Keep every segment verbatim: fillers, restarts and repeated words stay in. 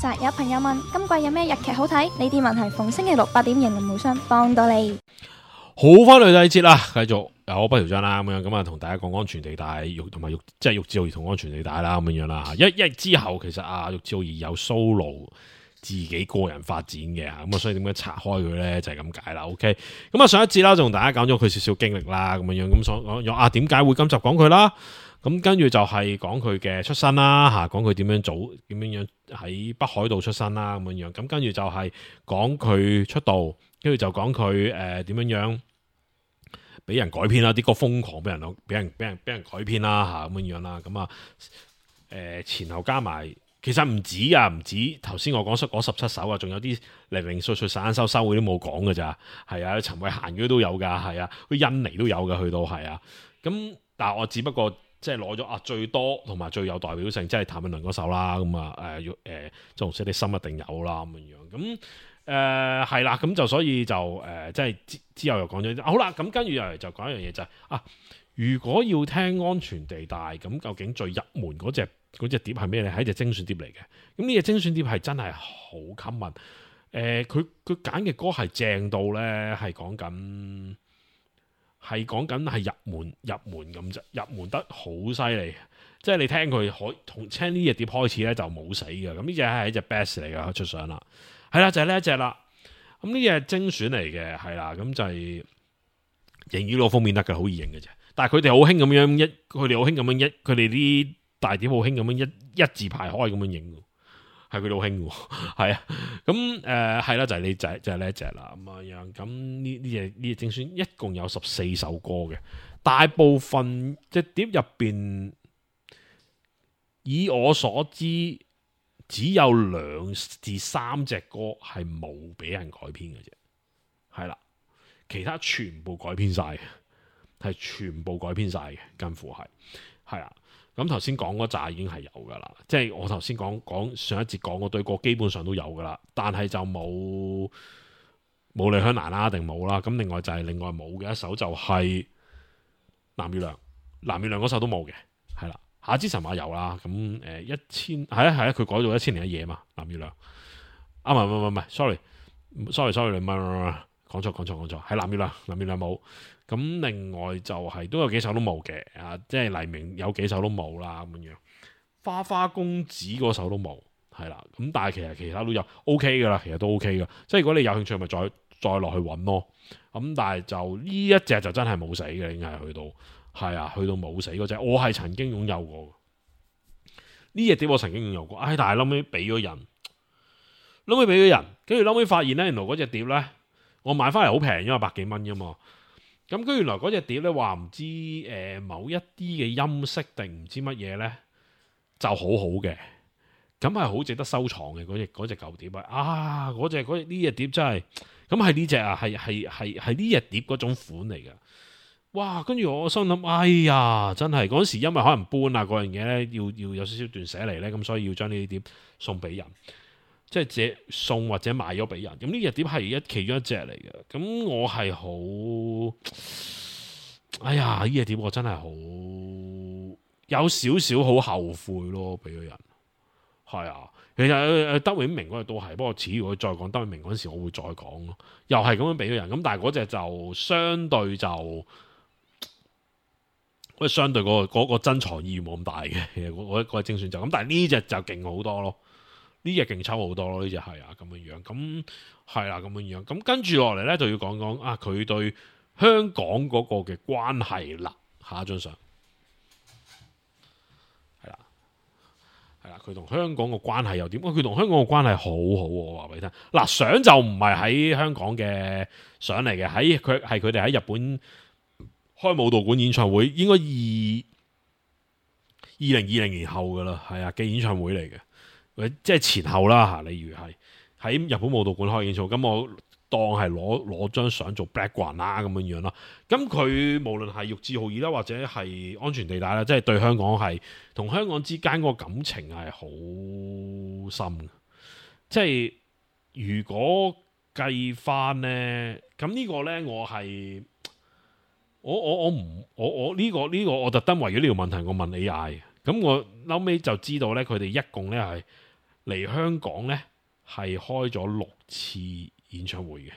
實有朋友問今季有咩日劇好睇？呢啲問題逢星期六八點迎人無雙幫到你。好，翻嚟第二節啦，繼續有我不條章啦，咁樣咁啊，同大家講安全地帶，玉同埋玉即係玉置浩二同安全地帶啦，咁樣樣啦。一一之後，其實啊，玉置浩二有 solo 自己個人發展嘅，咁啊，所以點解拆開佢咧就係咁解啦。OK，咁啊，上一節啦，就同大家講咗佢少少經歷啦，咁樣樣咁所講啊，點解會今集講佢啦？咁跟住就係講佢嘅出身啦，吓講佢點樣做，點樣樣喺北海道出身啦，咁樣樣。咁跟住就係講佢出道，跟住就講佢誒點樣樣俾人改編啦，啲歌瘋狂俾人俾人俾人俾人改編啦，吓咁樣樣啦。咁啊誒前後加埋，其實唔止啊，唔止頭先我講出嗰十七首啊，仲有啲零零碎碎散收收嗰啲冇講㗎咋，係啊，陳慧嫻嗰啲都有噶，係啊，啲印尼都有噶，去到係啊。咁但係我只不過。即係攞咗啊最多同埋最有代表性，即係譚詠麟嗰首啦，咁啊誒誒，即紅色的心一定有啦咁樣樣，咁誒係啦，咁就所以就誒、呃、即係之之後又講咗，好啦，咁跟住又嚟就講一樣嘢就係、是、啊，如果要聽安全地帶，咁究竟最入門嗰隻嗰隻碟係咩咧？係一隻精選碟嚟嘅，咁呢隻精選碟係真係好吸引，誒佢佢揀嘅歌係正到咧，係講緊。係講緊係入門入門咁啫，入門得好犀利，即係你聽佢可從聽呢隻碟開始咧就冇死嘅，咁呢隻係一隻 best 嚟嘅出相啦，係啦就係呢一隻啦，咁呢隻係精選嚟嘅，係啦，咁就係影呢個封面得嘅，好易影嘅啫，但係佢哋好興咁樣一，佢哋好興咁樣一，佢哋啲大碟好興咁樣一一字排開咁樣影。係佢哋好興喎，係啊，咁誒係啦，就係呢隻就係呢一隻啦，咁啊樣，咁呢呢隻呢隻精選一共有十四首歌嘅，大部分隻碟入邊，以我所知，只有兩至三隻歌係冇俾人改編嘅啫，係啦，其他全部改編晒嘅，係全部改編晒嘅，近乎係，係啊。咁頭先講嗰扎已經係有噶啦，即係我頭先講講上一節講嗰堆歌基本上都有噶啦，但係就冇冇李香蘭啦，定冇啦。咁另外就係另外冇嘅一首就係藍月亮，藍月亮嗰首都冇嘅，係啦。夏之神話有啦，咁誒、呃、一千係啊係啊，佢改咗一千零一夜嘛，藍月亮啊，唔係唔係唔係 sorry sorry sorry 唔係唔係講錯講錯講錯，係藍月亮，藍月亮冇。咁另外就係、是、都有幾首都冇嘅，啊，即係黎明有幾首都冇啦咁樣，花花公子嗰首都冇，係啦，咁但係其實其他都有 OK 噶啦，其實都 OK 噶，即係如果你有興趣咪再再落去揾咯，咁但係就呢一隻就真係冇死嘅，應該係去到係啊，去到冇死嗰隻，我係曾經擁有過呢隻碟，我曾經擁有過，唉，但係後尾俾咗人，後尾俾咗人，跟住後尾發現咧，原來嗰隻碟咧，我買翻嚟好平，因為百幾蚊啫嘛。咁跟住原來嗰隻碟咧，話唔知誒、呃、某一啲嘅音色定唔知乜嘢咧，就好好嘅，咁係好值得收藏嘅嗰隻嗰隻舊碟啊！啊，嗰隻嗰呢隻碟真係，咁係呢隻啊，係係係係呢隻碟嗰種款嚟嘅。哇！跟住我心諗，哎呀，真係嗰時因為可能搬啊嗰樣嘢咧，要要有少少斷捨離咧，咁所以要將呢啲碟送俾人。即係借送或者賣咗俾人，咁呢隻碟係一其中一隻嚟嘅，咁我係好，哎呀呢隻碟我真係好有少少好後悔咯，俾咗人，係啊，其實德永明嗰隻都係，不過似如果再講德永明嗰陣時，我會再講咯，又係咁樣俾咗人，咁但係嗰隻就相對就，嗰隻相對嗰、嗰個、嗰個珍藏意義冇咁大嘅，其實我嗰隻精選就咁，但係呢隻就勁好多咯。呢隻勁抽好多咯，呢隻係啊咁樣樣，咁係啦咁樣樣，咁跟住落嚟咧就要講講啊佢對香港嗰個嘅關係啦，下一張相係啦，係啦，佢同香港個關係又點？佢同香港個關係好好，我話俾你聽。嗱，相就唔係喺香港嘅相嚟嘅，喺佢係佢哋喺日本開武道館演唱會，應該二二零二零年後噶啦，係啊嘅演唱會嚟嘅。即係前後啦嚇，例如係喺日本武道館開演唱會，咁我當係攞攞張相做 background 啦咁樣樣啦。咁佢無論係玉置浩二啦，或者係安全地帶啦，即係對香港係同香港之間嗰個感情係好深嘅。即係如果計翻咧，咁呢個咧我係我我我唔我我呢個呢個我特登為咗呢條問題我問 A I 嘅。咁我後尾就知道咧，佢哋一共咧係嚟香港呢係開咗六次演唱會嘅，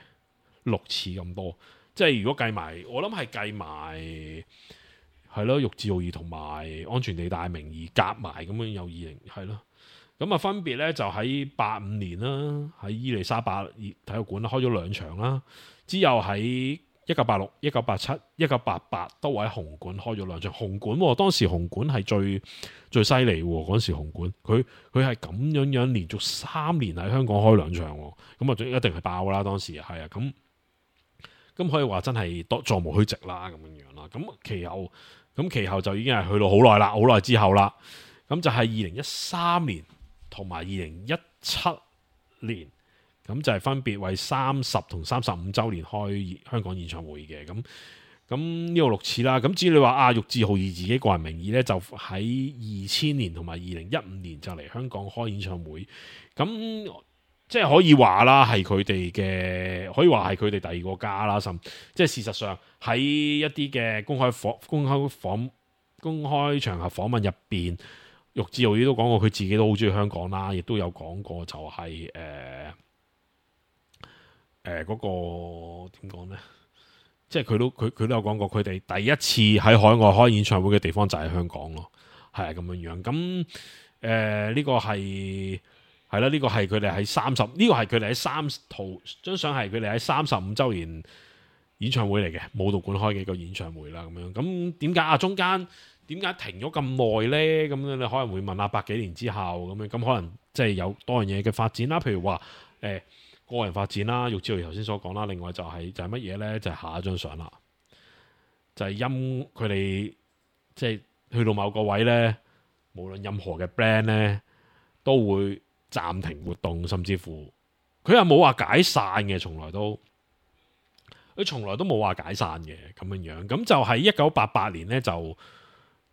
六次咁多。即係如果計埋，我諗係計埋係咯，玉置浩二同埋安全地帶名義夾埋咁樣有二零係咯。咁啊分別呢就喺八五年啦，喺伊利沙伯體育館開咗兩場啦，之後喺一九八六、一九八七、一九八八都喺紅館開咗兩場。紅館、哦、當時紅館係最最犀利喎，嗰時紅館佢佢係咁樣樣連續三年喺香港開兩場，咁啊一定係爆啦。當時係啊，咁咁可以話真係多座無虛席啦，咁樣樣啦。咁其後咁其後就已經係去到好耐啦，好耐之後啦。咁就係二零一三年同埋二零一七年。咁就係分別為三十同三十五週年開香港演唱會嘅。咁咁呢個六次啦。咁至於你話啊，玉置浩二自己個人名義呢，就喺二千年同埋二零一五年就嚟香港開演唱會。咁即係可以話啦，係佢哋嘅，可以話係佢哋第二個家啦。甚即係事實上喺一啲嘅公開訪、公開訪、公開場合訪問入邊，玉置浩二都講過佢自己都好中意香港啦，亦都有講過就係、是、誒。呃誒嗰、呃那個點講呢？即係佢都佢佢都有講過，佢哋第一次喺海外開演唱會嘅地方就係香港咯，係啊咁樣樣。咁誒呢個係係啦，呢、這個係佢哋喺三十，呢個係佢哋喺三圖張相係佢哋喺三十五週年演唱會嚟嘅，武道館開嘅一個演唱會啦，咁樣。咁點解啊？中間點解停咗咁耐呢？咁樣你可能會問下百幾年之後咁樣，咁可能即係有多樣嘢嘅發展啦，譬如話誒。呃個人發展啦，玉置浩二頭先所講啦，另外就係、是、就係乜嘢呢？就係、是、下一張相啦，就係、是、因佢哋即係去到某個位呢，無論任何嘅 brand 呢，都會暫停活動，甚至乎佢又冇話解散嘅，從來都佢從來都冇話解散嘅咁樣樣。咁就喺一九八八年呢，就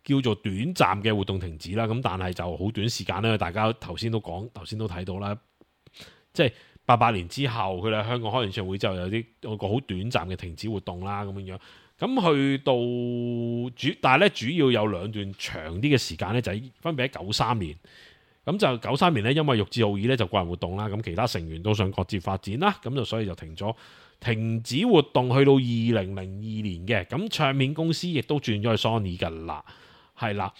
叫做短暫嘅活動停止啦。咁但係就好短時間咧，大家頭先都講，頭先都睇到啦，即係。八八年之後，佢哋喺香港開演唱會之後，有啲有個好短暫嘅停止活動啦，咁樣樣。咁去到主，但係咧主要有兩段長啲嘅時間咧，就係分別喺九三年。咁就九三年咧，因為玉置浩二咧就個人活動啦，咁其他成員都想各自發展啦，咁就所以就停咗，停止活動去到二零零二年嘅。咁唱片公司亦都轉咗去 Sony 噶啦，係啦，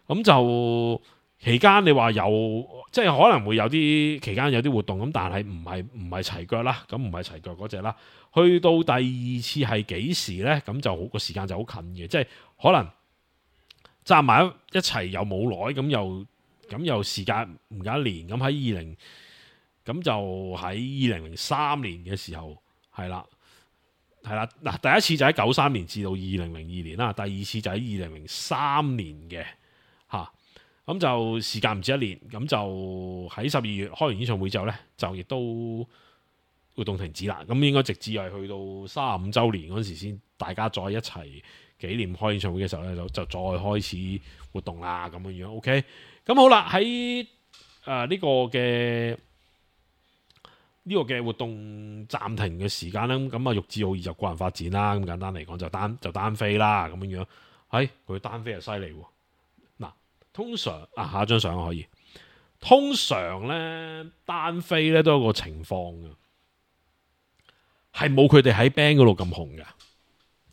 咁就。期間你話有即係可能會有啲期間有啲活動咁，但係唔係唔係齊腳啦，咁唔係齊腳嗰隻啦。去到第二次係幾時呢？咁就好個時間就好近嘅，即係可能站埋一齊又冇耐，咁又咁又時間唔夠一年，咁喺二零咁就喺二零零三年嘅時候係啦係啦嗱，第一次就喺九三年至到二零零二年啦，第二次就喺二零零三年嘅嚇。咁就時間唔止一年，咁就喺十二月開完演唱會之後呢，就亦都活動停止啦。咁應該直至係去到三十五週年嗰時先，大家再一齊紀念開演唱會嘅時候呢，就就再開始活動啦。咁樣樣 OK。咁好啦，喺誒呢個嘅呢、這個嘅活動暫停嘅時間呢，咁啊玉置浩二就個人發展啦。咁簡單嚟講就單就單飛啦。咁樣樣，係佢單飛係犀利喎。通常啊，下一張相可以。通常咧單飛咧都有個情況嘅，係冇佢哋喺 band 嗰度咁紅嘅。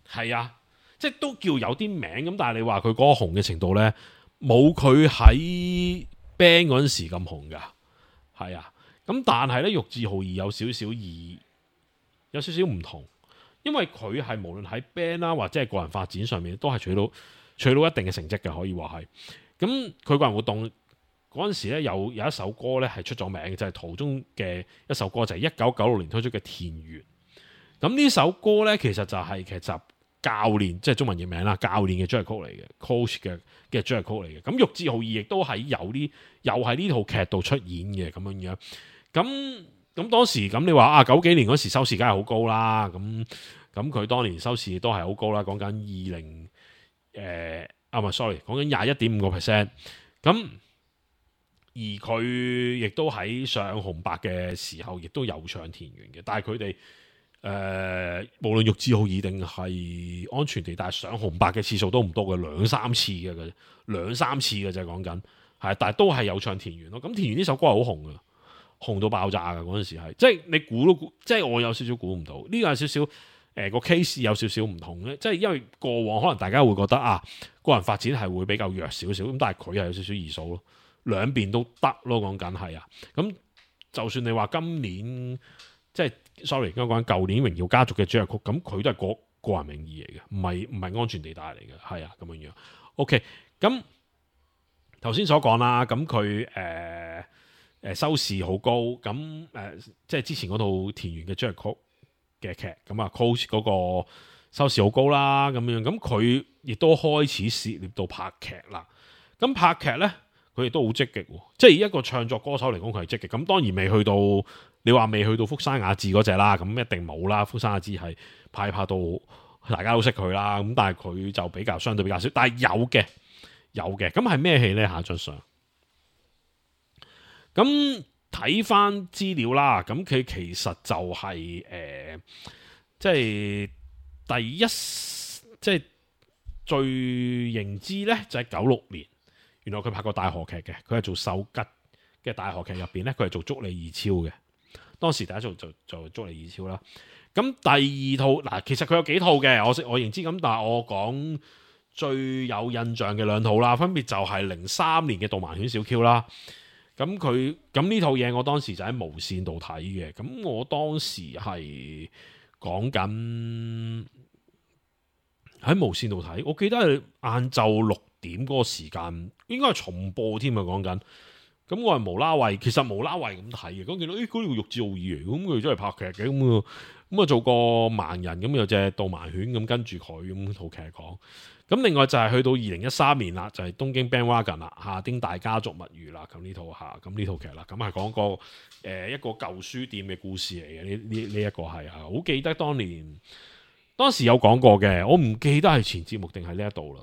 係啊，即係都叫有啲名咁，但係你話佢嗰個紅嘅程度咧，冇佢喺 band 嗰陣時咁紅噶。係啊，咁但係咧玉置浩二有少少異，有少少唔同，因為佢係無論喺 band 啦或者係個人發展上面都係取到取到一定嘅成績嘅，可以話係。咁佢個人活動嗰陣時咧，有有一首歌咧係出咗名嘅，就係、是、途中嘅一首歌，就係一九九六年推出嘅《田園》。咁呢首歌咧，其實就係劇集教練，即係中文譯名啦，教練嘅主題曲嚟嘅 ，coach 嘅嘅主題曲嚟嘅。咁玉置浩二亦都喺有呢，又喺呢套劇度出演嘅咁樣樣。咁咁當時咁你話啊，九幾年嗰時收視梗係好高啦。咁咁佢當年收視都係好高啦，講緊二零誒。啊，唔係 sorry，講緊廿一點五個 percent。咁而佢亦都喺上紅白嘅時候，亦都有唱田園嘅。但係佢哋誒，無論玉置浩二定係安全地帶上紅白嘅次數都唔多嘅，兩三次嘅，兩三次嘅就係講緊係，但係都係有唱田園咯。咁田園呢首歌係好紅嘅，紅到爆炸嘅嗰陣時係，即係你估都估，即係我有少少估唔到。呢個有少少誒個 case 有少少唔同咧，即係因為過往可能大家會覺得啊個人發展係會比較弱少少，咁但係佢係有少少異數咯，兩邊都得咯，講緊係啊。咁就算你話今年即係 sorry，應該講舊年榮耀家族嘅主題曲，咁佢都係個個人名義嚟嘅，唔係唔係安全地帶嚟嘅，係啊咁樣樣。OK，咁頭先所講啦，咁佢誒誒收視好高，咁誒、呃、即係之前嗰套田園嘅主題曲嘅劇，咁啊 Coach 嗰個收視好高啦，咁樣，咁佢亦都開始涉獵到拍劇啦。咁拍劇咧，佢亦都好積極，即係以一個唱作歌手嚟講，佢係積極。咁當然未去到，你話未去到福山雅治嗰隻啦，咁一定冇啦。福山雅治係拍拍到大家都識佢啦，咁但係佢就比較相對比較少，但係有嘅有嘅。咁係咩戲咧？下張相。咁睇翻資料啦，咁佢其實就係、是、誒、呃，即係第一，即係最認知咧，就係九六年。原來佢拍過大河劇嘅，佢係做秀吉嘅大河劇入邊咧，佢係做足利義昭嘅。當時第一套就就足利義昭啦。咁第二套嗱，其實佢有幾套嘅，我我認知咁，但係我講最有印象嘅兩套啦，分別就係零三年嘅《導盲犬小 Q》啦。咁佢咁呢套嘢，我當時就喺無線度睇嘅。咁我當時係講緊喺無線度睇，我記得係晏晝六點嗰個時間，應該係重播添啊！講緊，咁我係無啦為，其實無啦為咁睇嘅。咁見到誒嗰條玉置浩二嚟，咁佢真係拍劇嘅，咁啊咁啊做個盲人，咁有隻導盲犬咁跟住佢咁套劇講。咁另外就係去到二零一三年啦，就係、是、東京 Bandwagon 啦，夏丁大家族物語啦，咁呢套下，咁呢套劇啦，咁係講個誒、呃、一個舊書店嘅故事嚟嘅。呢呢呢一個係啊，好記得當年當時有講過嘅，我唔記得係前節目定係呢一度啦。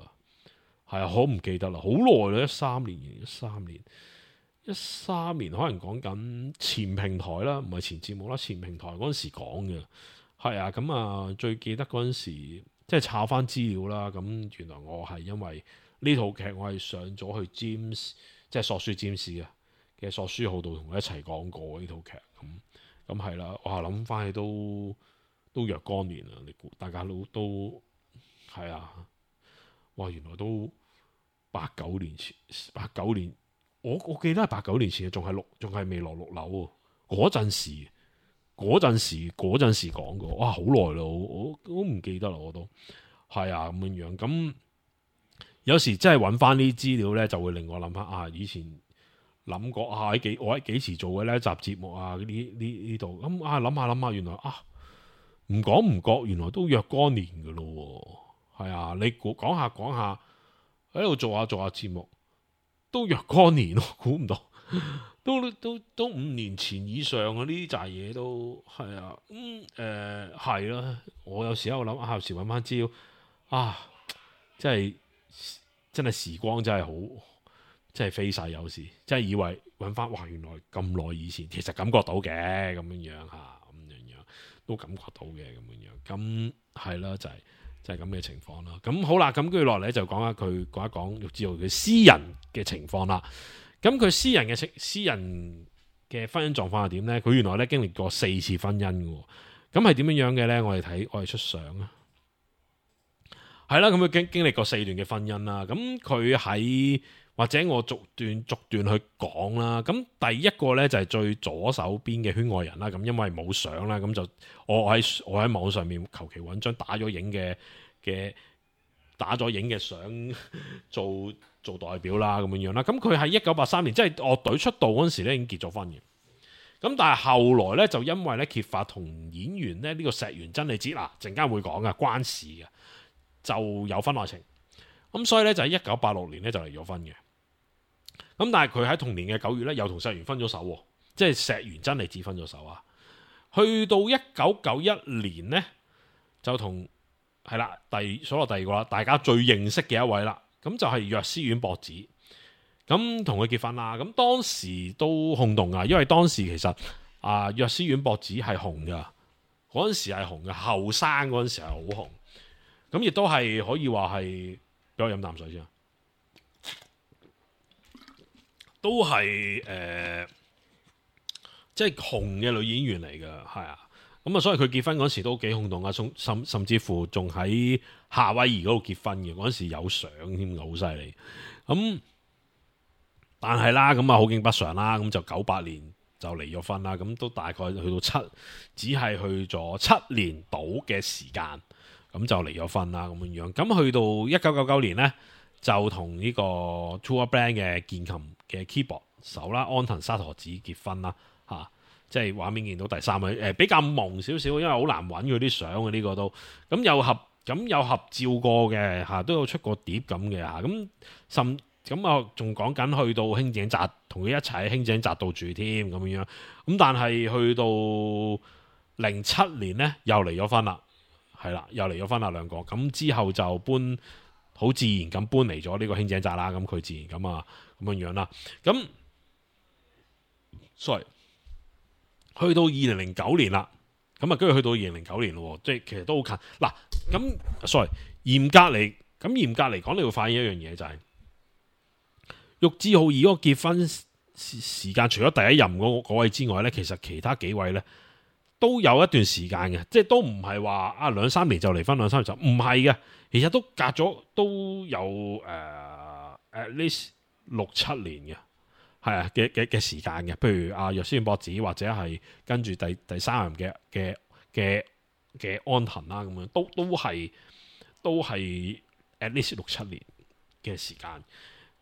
係啊，好唔記得啦，好耐啦，一三年，一三年，一三年，可能講緊前平台啦，唔係前節目啦，前平台嗰陣時講嘅，係啊，咁啊最記得嗰陣時，即係查翻資料啦，咁原來我係因為呢套劇我係上咗去 James，即係索書占士嘅嘅索書號度同佢一齊講過呢套劇，咁咁係啦，我係諗翻起都都若干年啦，你估大家都都係啊，哇，原來都。八九年前，八九年，我我記得係八九年前，仲係六，仲係未落六樓喎。嗰陣時，嗰陣時，嗰陣時講過，哇，好耐咯，我我唔記得啦，我都係啊咁樣樣。咁有時真係揾翻啲資料咧，就會令我諗翻啊，以前諗過啊，喺幾我喺幾時做嘅呢一集節目啊？呢呢呢度咁啊，諗下諗下，原來啊，唔講唔覺，原來都若干年噶咯。係啊，你講講下講下。喺度做下做下節目，都若干年咯，估唔到，都都都五年前以上啊！呢啲扎嘢都係啊，咁誒係啦。我有時喺度諗啊，有時揾翻資料啊，真係真係時光真係好，真係飛逝。有時真係以為揾翻，哇！原來咁耐以前，其實感覺到嘅咁樣樣嚇，咁樣樣都感覺到嘅咁樣樣。咁係啦，就係、是。就係咁嘅情況啦，咁好啦，咁跟住落嚟就講下佢講一講玉置浩佢私人嘅情況啦。咁佢私人嘅情，私人嘅婚姻狀況係點呢？佢原來咧經歷過四次婚姻嘅，咁係點樣樣嘅呢？我哋睇，我哋出相啊，係啦，咁佢經經歷過四段嘅婚姻啦。咁佢喺或者我逐段逐段去講啦。咁第一個呢，就係最左手邊嘅圈外人啦。咁因為冇相啦，咁就我喺我喺網上面求其揾張打咗影嘅嘅打咗影嘅相做做代表啦，咁樣樣啦。咁佢喺一九八三年，即係樂隊出道嗰陣時咧，已經結咗婚嘅。咁但係後來咧，就因為咧揭發同演員咧呢個石原真理子嗱，陣間會講嘅關事嘅，就有婚外情。咁所以咧就喺一九八六年咧就離咗婚嘅。咁但係佢喺同年嘅九月咧，又同石原分咗手，即係石原真理子分咗手啊。去到一九九一年咧，就同係啦，第數落第二個啦，大家最認識嘅一位啦，咁就係藥師丸博子。咁同佢結婚啦，咁當時都轟動啊，因為當時其實啊藥師丸博子係紅噶，嗰陣時係紅嘅，後生嗰陣時係好紅，咁亦都係可以話係，俾我飲啖水先。都係誒、呃，即係紅嘅女演員嚟嘅，係啊。咁啊，所以佢結婚嗰時都幾轟動啊，甚甚甚至乎仲喺夏威夷嗰度結婚嘅，嗰陣時有相添，好犀利。咁但係啦，咁啊好景不常啦，咁就九八年就離咗婚啦。咁都大概去到七，只係去咗七年到嘅時間，咁就離咗婚啦。咁樣樣，咁去到一九九九年呢，就同呢個 Tour Band 嘅鍵琴嘅 keyboard 手啦，安藤沙陀子結婚啦，嚇、啊。即係畫面見到第三位，誒、呃、比較朦少少，因為好難揾佢啲相嘅呢個都，咁有合咁有合照過嘅嚇，都有出過碟咁嘅嚇，咁甚咁啊仲講緊去到輕井澤同佢一齊喺輕井澤度住添咁樣，咁但係去到零七年呢，又離咗婚啦，係啦，又離咗婚啦兩個，咁之後就搬好自然咁搬嚟咗呢個輕井澤啦，咁佢自然咁啊咁樣樣啦，咁 sorry。去到二零零九年啦，咁啊，跟住去到二零零九年咯，即係其實都好近。嗱，咁 sorry，嚴格嚟，咁嚴格嚟講，你會發現一樣嘢就係、是，玉置浩二嗰個結婚時間，除咗第一任嗰位之外咧，其實其他幾位咧都有一段時間嘅，即係都唔係話啊兩三年就離婚，兩三年就唔係嘅，其實都隔咗都有誒、uh, at least 六七年嘅。係啊嘅嘅嘅時間嘅，譬如阿若斯博子或者係跟住第第三任嘅嘅嘅嘅安藤啦，咁樣都都係都係 at least 六七年嘅時間。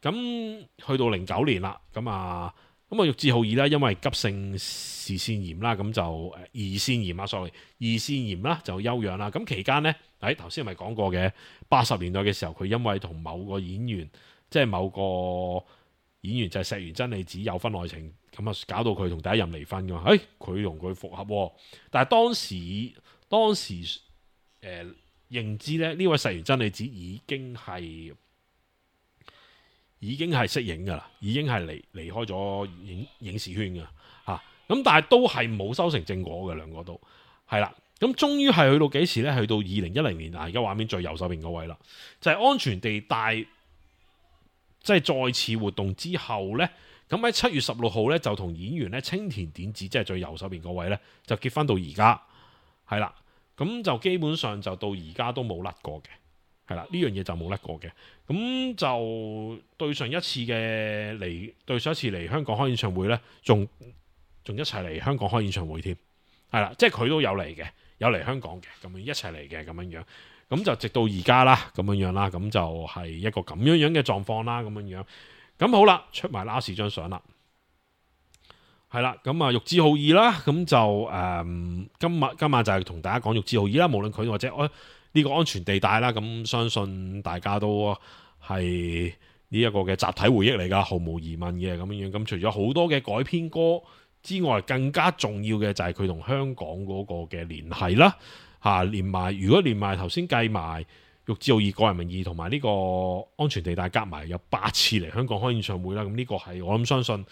咁去到零九年啦，咁啊咁啊玉置浩二啦，因為急性胰腺炎啦，咁就誒胰腺炎啊，sorry 胰腺炎啦就休養啦。咁期間呢，喺頭先咪講過嘅八十年代嘅時候，佢因為同某個演員即係某個。演員就係石原真理子有婚外情，咁啊搞到佢同第一任離婚噶嘛？誒，佢同佢復合，但係當時當時誒、呃、認知咧，呢位石原真理子已經係已經係息影噶啦，已經係離離開咗影影視圈噶吓，咁、啊、但係都係冇收成正果嘅，兩個都係啦。咁終於係去到幾時咧？去到二零一零年啊！而家畫面最右手邊嗰位啦，就係、是、安全地帶。即係再次活動之後呢，咁喺七月十六號呢，就同演員咧青田典子，即係最右手邊嗰位呢，就結婚到而家，係啦，咁就基本上就到而家都冇甩過嘅，係啦，呢樣嘢就冇甩過嘅，咁就對上一次嘅嚟，對上一次嚟香港開演唱會呢，仲仲一齊嚟香港開演唱會添，係啦，即係佢都有嚟嘅，有嚟香港嘅，咁樣一齊嚟嘅咁樣樣。咁就直到而家啦，咁樣樣啦，咁就係一個咁樣樣嘅狀況啦，咁樣樣。咁好啦，出埋 last 張相啦，係啦，咁啊玉置浩二啦，咁就誒、嗯、今日今晚就係同大家講玉置浩二啦，無論佢或者我呢個安全地帶啦，咁相信大家都係呢一個嘅集體回憶嚟噶，毫無疑問嘅咁樣樣。咁除咗好多嘅改編歌之外，更加重要嘅就係佢同香港嗰個嘅聯繫啦。嚇、啊，連埋如果連埋頭先計埋玉置浩二個人名義同埋呢個安全地帶夾埋有八次嚟香港開演唱會啦，咁呢個係我諗相信，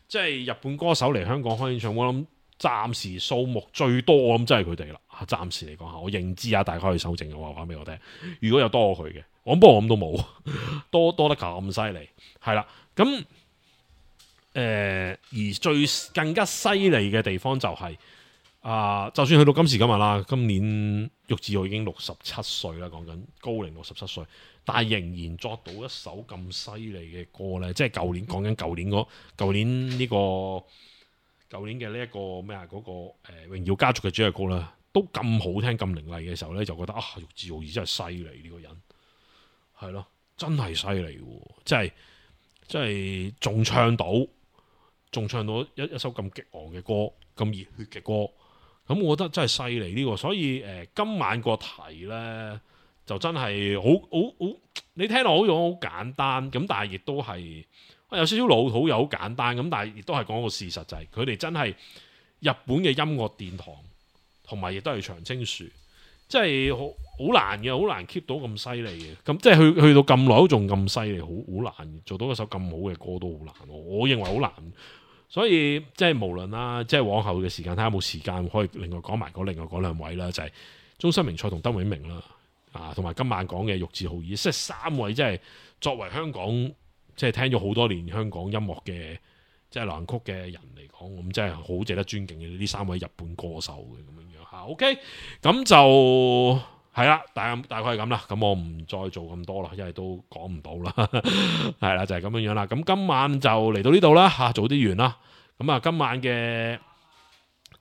即係日本歌手嚟香港開演唱會，我諗暫時數目最多，我諗真係佢哋啦。暫時嚟講嚇，我認知啊，大家可以修正嘅話話俾我聽。如果有多過佢嘅，我不過我諗都冇多多得咁犀利，係啦。咁誒、呃，而最更加犀利嘅地方就係、是。啊！就算去到今時今日啦，今年玉置浩已經六十七歲啦，講緊高齡六十七歲，但係仍然作到一首咁犀利嘅歌咧，即係舊年講緊舊年嗰舊年呢、這個舊年嘅呢一個咩啊嗰個誒、呃、榮耀家族嘅主題歌啦，都咁好聽咁凌厲嘅時候咧，就覺得啊玉置浩二真係犀利呢個人，係咯，真係犀利喎！即係即係仲唱到，仲唱到一一首咁激昂嘅歌，咁熱血嘅歌。咁我覺得真係犀利呢個，所以誒、呃、今晚個題呢，就真係好好好，你聽落好似好簡單，咁但係亦都係有少少老土又好簡單，咁但係亦都係講個事實就係佢哋真係日本嘅音樂殿堂，同埋亦都係長青樹，即係好好難嘅，好難 keep 到咁犀利嘅，咁即係去去到咁耐都仲咁犀利，好好難做到一首咁好嘅歌都好難，我認為好難。所以即係無論啦，即係往後嘅時間睇下有冇時間可以另外講埋嗰另外嗰兩位啦，就係、是、中森明菜同德永明啦，啊，同埋今晚講嘅玉置浩二，即係三位即係作為香港即係聽咗好多年香港音樂嘅即係流行曲嘅人嚟講，咁真係好值得尊敬嘅呢三位日本歌手嘅咁樣樣嚇。OK，咁就係啦，大大概係咁啦。咁我唔再做咁多啦，因為都講唔到啦。係啦，就係、是、咁樣樣啦。咁今晚就嚟到呢度啦嚇，早啲完啦。咁啊，今晚嘅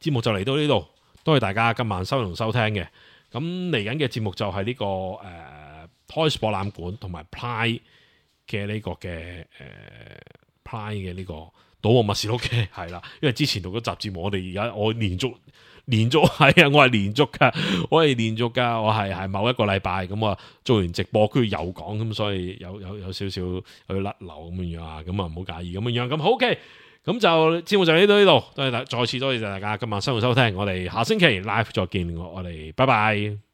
節目就嚟到呢度，多謝大家今晚收同收聽嘅。咁嚟緊嘅節目就係呢、這個誒、呃、Toys 博覽館同埋 Ply 嘅呢個嘅誒 Ply 嘅呢個賭博默示錄嘅係啦，因為之前讀咗集節目，我哋而家我連續。連續係啊，我係連續噶，我係連續噶，我係係某一個禮拜咁啊，做完直播跟住又講，咁所以有有有少少去甩流咁樣樣啊，咁啊唔好介意咁樣樣，咁好嘅，咁就節目就嚟到呢度，多謝大，再次多謝大家今晚收睇收聽，我哋下星期 live 再見，我我哋拜拜。